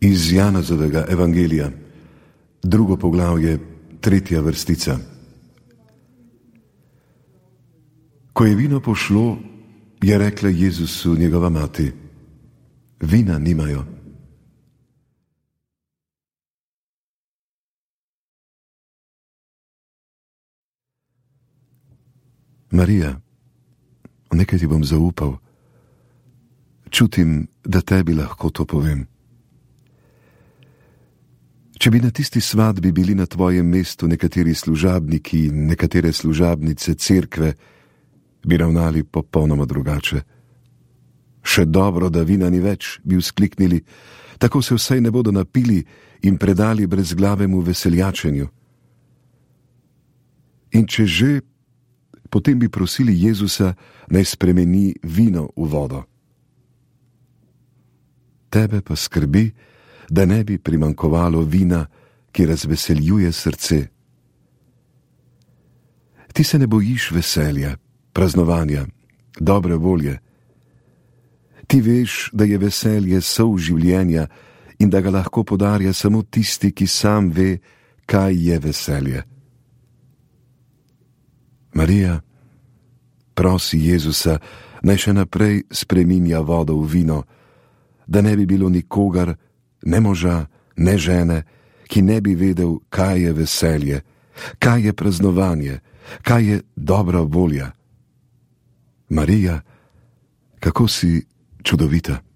Iz Janezovega evangelija, 2. poglavje, 3. vrstica. Ko je vino pošlo, je rekla Jezusu njegova mati: vina nimajo. Marija, nekaj ti bom zaupal. Čutim, da tebi lahko to povem. Če bi na tisti svadbi bili na tvojem mestu nekateri služabniki in nekatere služabnice cerkve, bi ravnali popolnoma drugače. Še dobro, da vina ni več, bi vzkliknili, tako se vsaj ne bodo napili in predali brezglavemu veseljačenju. In če že, potem bi prosili Jezusa, naj spremeni vino v vodo. Tebe pa skrbi, da ne bi primanjkovalo vina, ki razveseljuje srce. Ti se ne bojiš veselja, praznovanja, dobre volje. Ti veš, da je veselje sol življenja in da ga lahko podarja samo tisti, ki sam ve, kaj je veselje. Marija, prosi Jezusa, naj še naprej spreminja vodo v vino, da ne bi bilo nikogar, ne moža, ne žene, ki ne bi vedel, kaj je veselje, kaj je praznovanje, kaj je dobra volja. Marija, kako si čudovita.